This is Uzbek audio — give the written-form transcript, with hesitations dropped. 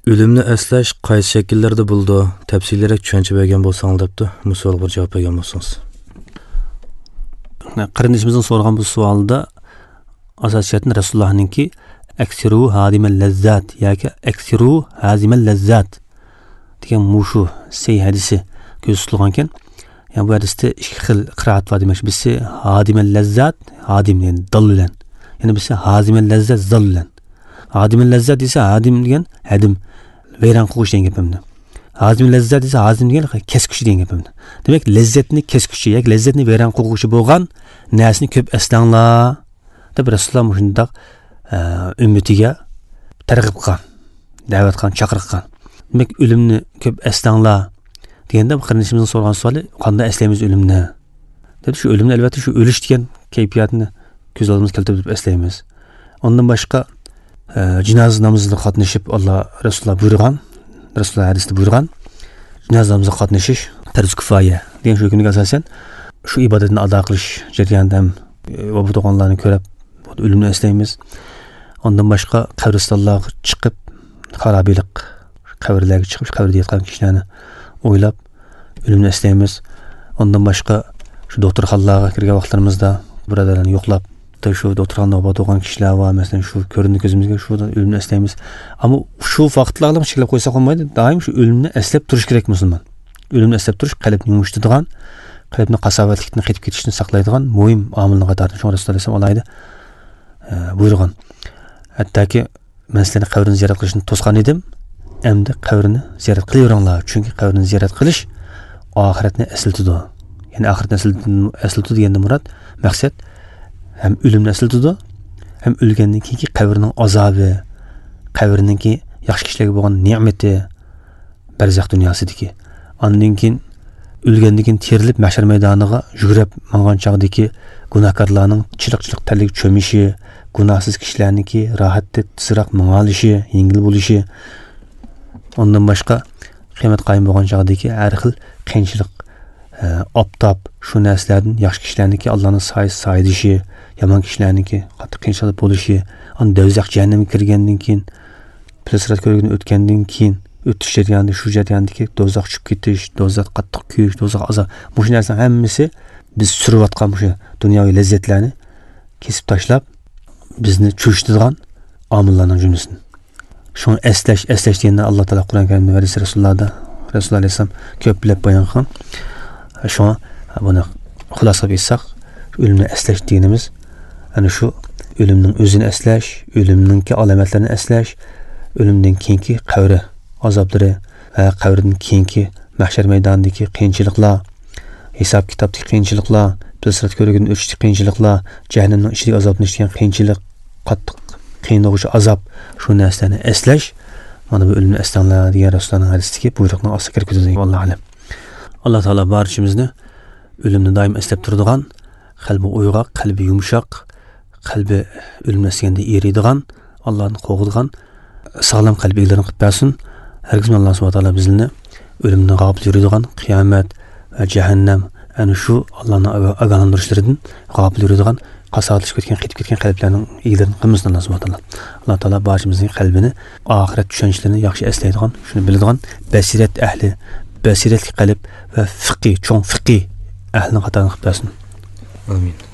O'limni eslash qaysi shakllarda bo'ldi? Tafsilroq tushuncha bergan bo'lsangiz debdi. Bu savolga javob bergan bo'lsangiz. Qarindishimizning so'ragan bu savolida asosiy jihatdan Rasulullohninki aksiru hadimal lazzat yoki aksiru hazimal lazzat degan mushu sey hadisi ko'z tutilgan ekan. Yani bu hadisda ikki xil qiroat bor demak. Birisi hadimal lazzat, hadim ya'ni dal bilan. Ya'ni birisi hazimal lazzat zal bilan. Hadimal lazzat desa hadim degan hadim vayron qilish degan gap endi. Hazim lazzat desa hazim degan keskuchi degan gap endi. Demak, lazzatni keskuchi yoki lazzatni vayron qilguvchi bo'lgan narsani ko'p eslanglar deb Rasululloh shundoq ummatiga targ'ib qilgan, da'vat qilgan, chaqiriq qilgan. Demak, o'limni ko'p eslanglar deganda qarindishimizning so'ragan savoli qanday eslaymiz o'limni? Deb shu o'limni albatta shu o'lish degan kayfiyatni ko'z oldimizga keltirib eslaymiz. Ondan boshqa jinoza namozida qatnashib Alloh Rasululloh buyurgan, Rasululloh hadisida buyurgan jinoza namoziga qatnashish farz kifoya degan shu hukmga asosan shu ibodatni ado qilish jarayonida ham vafot bo'lganlarni ko'rib o'limni eslaymiz. Ondan boshqa qabristonlarga chiqib xarobilik qabrlarga chiqib qabrda yotgan kishilarni o'ylab o'limni eslaymiz. Ondan boshqa shu doktorxonalarga kirgan vaqtlarimizda birodarlarni yo'qlab shu doktorxonada vafot bo'lgan kishilar va masalan shu ko'rindi ko'zimizga shu o'limni eslaymiz. Ammo shu vaqtlarni cheklab qo'ysak bo'lmaydi. Doim shu o'limni eslab turish kerak musulmon. O'limni eslab turish qalbni yumshatadigan, qalbni qasovatlikni qaytib ketishini saqlaydigan muhim omilni qatorida shu Rasululloh alayhisalom alayhi buyurgan. Hattoki men sizlarni qabrini ziyorat qilishni to'sgan edim. Endi qabrini ziyorat qilaveringlar, chunki qabrini ziyorat qilish oxiratni eslatadi. Ya'ni oxiratni eslatadi deganda murod maqsad ham o'limni eslatadi, ham o'lgandan keyingi qabrning azobi, qabrninki yaxshi kishilarga bo'lgan ne'mati, barzax dunyosidagi. Ondan keyin o'lgandan keyin terilib mahshar maydoniga yugurib mangan chog'dagi gunohkorlarning chiliq-chiliq terlik cho'mishi, gunohsiz kishilarniki rohatda tezroq mingolishi, yengil bo'lishi. Ondan boshqa qiyomat qoyim bo'lgan chog'dagi har xil qiyinchilik, oftob, shu narsalardan yaxshi kishilarniki Allohning soyasi soyidishi, yomon kishilarniki qattiq qiyinchilik bo'lishi, on do'zax jahannamga kirgandan keyin, pul-sirat ko'rgidan o'tgandan keyin o'tish jarayonida shu jarayondagi do'zax tushib ketish, do'zax qattiq kuyish, do'zax azob, bu narsaning hammasi biz surayotgan shu dunyoviy lazzatlarni kesib tashlab bizni cho'chitadigan omillarning jumlasidan. Shuni eslash, eslash deganda Alloh taolo Qur'oni Karimda va Rasulullohda, Rasululloh alayhissalom ko'plab bayon qilgan. Shuni buni xulosa qilib aytsak, o'limni eslash deganimiz ana shu o'limning o'zini eslash, o'limninki alomatlarini eslash, o'limdan keyingi qabri azoblari va qabrdan keyingi mahshar maydonidagi qiyinchiliklar, hisob kitobdagi qiyinchiliklar, pul-sirat ko'rigidan o'tishdagi qiyinchiliklar, jahannamning ichidagi azobni ichgan qiyinchilik, qattiq qiynog'uchi azob, shu narsalarni eslash mana bu o'limni eslanglar degan Rasulullohning hadisidagi buyruqning ostida kirib ketadi. Allohu alam. Alloh taolo barchamizni o'limni doim eslab turadigan, qalbi uyg'oq, qalbi yumshoq, qalbi o'limni eslaganda eriydigan, Allohni qo'rqadigan sog'lom qalb egalarini qilib bersin. Hargiz Alloh subhanahu va taolo bizni o'limdan g'ofil yuradigan, qiyomat va jahannam ana shu Allohning ogohlantirishlaridan g'ofil yuradigan, qasovatlashib ketgan, qaytib ketgan qalblarning egalarini qilmasin Alloh subhanahu va taolo. Alloh taolo barchamizning qalbini oxirat tushunchalarini yaxshi eslaydigan, shuni biladigan basirat ahli, basiratli qalb va fiqhi, cho'ng fiqhi ahlining qatorini qilib bersin. Amin.